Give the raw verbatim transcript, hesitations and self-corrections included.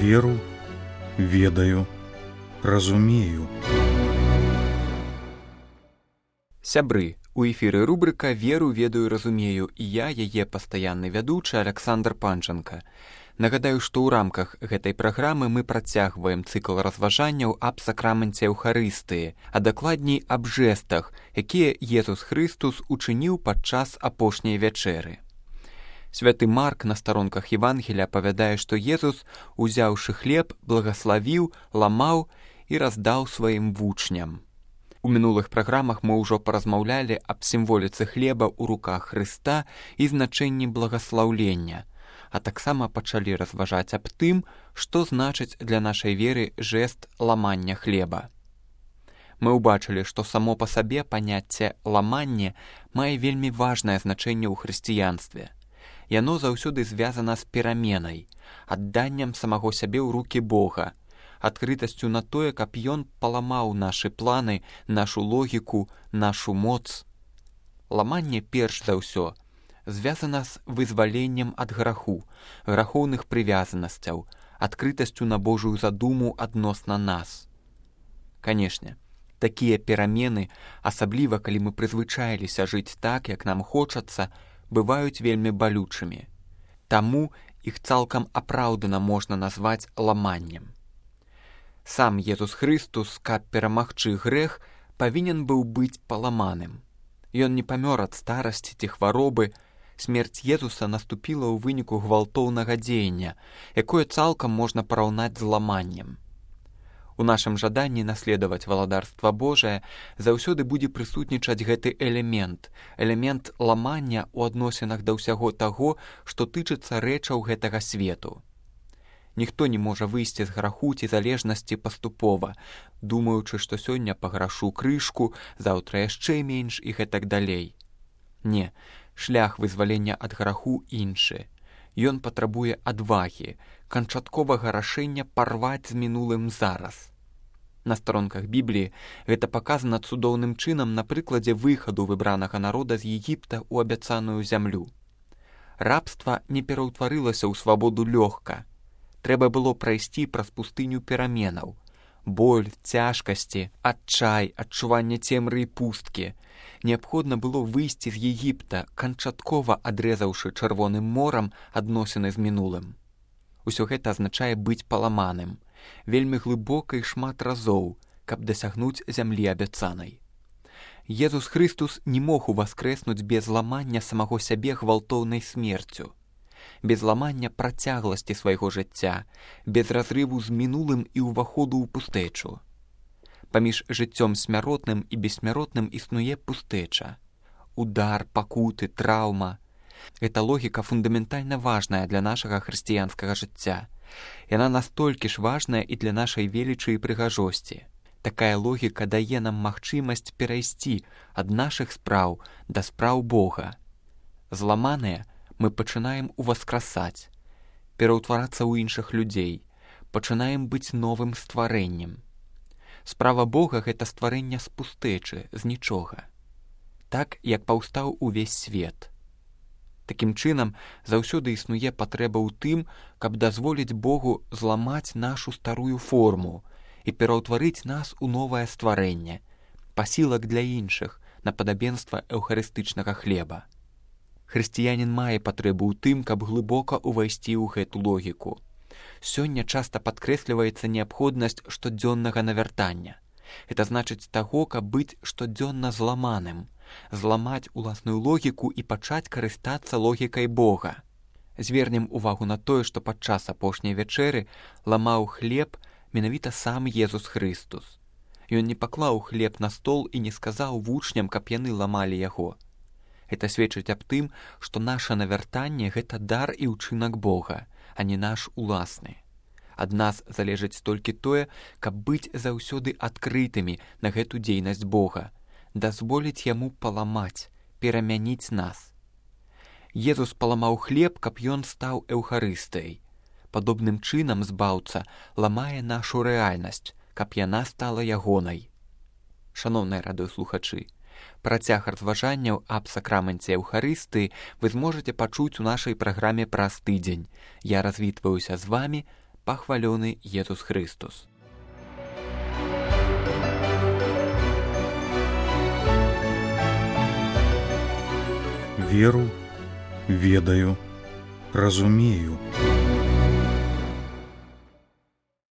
Веру, ведаю, разумею. Сябры, у эфіры рубрыка «Веру, ведаю, разумею» і я, яе пастаянны вядучы Аляксандр Панченка. Нагадаю, што ў рамках гэтай праграмы мы працягваем цыкл разважанняў аб сакраменце Еўхарыстыі, а дакладней аб жэстах, якія Езус Хрыстус учыніў падчас апошняй вячэры. Святы Марк на старонках Евангелія апавядае, што Езус, узяўшы хлеб, благаславіў, ламаў і раздаў сваім вучням. У мінулых праграмах мы ўжо паразмаўлялі аб сімволіцы хлеба ў руках Хрыста і значэнні благаслаўлення, а таксама пачалі разважаць аб тым, што значыць для нашай веры жэст ламання хлеба. Мы ўбачылі, што само па сабе паняцце ламання мае вельмі важнае значэнне ў хрысціянстве. Яно заўсёды звязана з пераменай, адданнем самого сябе ў рукі Бога, адкрытасцю на тое, каб ён паламаў нашы планы, нашу логіку, нашу моц. Ламанне перш за ўсё звязана з вызваленнем ад граху, грахоўных прывязанасцяў, адкрытасцю на Божую задуму адносна нас. Канешне, такія перамены, асабліва калі мы прызвычаіліся жыць так, як нам хочацца, бываюць вельмі балючымі. Таму іх цалкам апраўдана можна назваць ламаннем. Сам Езус Хрыстус, каб перамагчы грэх, павінен быў быць паламаным. Ён не памёр ад старасці ці хваробы. Смерць Езуса наступіла ў выніку гвалтоўнага дзеяння, якое цалкам можна параўнаць з ламаннем. У нашым жаданні наследаваць валадарства Божае заўсёды будзе прысутнічаць гэты элемент, элемент ламання ў адносінах да ўсяго таго, што тычыцца рэчаў гэтага свету. Ніхто не можа выйсці з граху ці залежнасці паступова, думаючы, што сёння паграшу крышку, заўтра яшчэ менш і гэтак далей. Не, шлях вызвалення ад граху іншы. Ён патрабуе адвагі, канчатковага рашэння парваць з мінулым зараз. На старонках Бібліі гэта паказана цудоўным чынам на прыкладзе выхаду выбранага народа з Егіпта ў абяцаную зямлю. Рабства не пераўтварылася ў свабоду лёгка. Трэба было прайсці праз пустыню пераменаў. Боль, цяжкасці, адчай, адчуванне цемры і пусткі. Неабходна было выйсці з Егіпта, канчаткова адрэзаўшы Чырвоным морам адносіны з мінулым. Усё гэта азначае быць паламаным, вельмі глыбока і шмат разоў, каб дасягнуць зямлі абяцанай. Езус Хрыстус не мог уваскрэснуць без ламання самого сябе гвалтоўнай смерцю, без ламання працягласці свайго жыцця, без разрыву з мінулым і ўваходу ў пустэчу. Паміж жыццём смяротным і бессмяротным існуе пустэча. Удар, пакуты, траўма. Гэта логіка фундаментальна важная для нашага хрысціянскага жыцця. Яна настолькі ж важная і для нашай велічы і прыгажосці. Такая логіка дае нам магчымасць перайсці ад нашых спраў да спраў Бога. Зламаныя мы пачынаем уваскрасаць, пераўтварацца ў іншых людзей, пачынаем быць новым стварэннем. Справа Бога — гэта стварэнне з пустэчы, з нічога. Так, як паўстаў увесь свет. Такім чынам, заўсёды існуе патрэба ў тым, каб дазволіць Богу зламаць нашу старую форму і пераўтварыць нас у новае стварэнне, пасілак для іншых, на падабенства эўхарыстычнага хлеба. Хрысціянін мае патрэбу ў тым, каб глыбока ўвайсці ў гэту логіку. Сёння часта падкрэсліваецца неабходнасць штодзённага навяртання. Гэта значыць таго, каб быць штодзённа зламаным, зламаць уласную логіку і пачаць карыстацца логікай Бога. Звернем увагу на тое, што падчас апошняй вячэры ламаў хлеб менавіта сам Езус Хрыстус. Ён не паклаў хлеб на стол і не сказаў вучням, каб яны ламалі яго. Гэта сведчыць аб тым, што наша навяртанне — гэта дар і ўчынак Бога, а не наш уласны. Ад нас залежыць толькі тое, каб быць заўсёды адкрытымі на гэту дзейнасць Бога, дазволіць яму паламаць, перамяніць нас. Езус паламаў хлеб, каб ён стаў эўхарыстыяй. Падобным чынам збаўца ламае нашу рэальнасць, каб яна стала ягонай. Шаноўныя радыёслухачы, працяг разважанняў аб сакраменце Еўхарыстыі вы зможаце пачуць у нашай праграме праз тыдзень. Я развітваюся з вамі, пахвалёны Езус Христус. Веру, ведаю, разумею.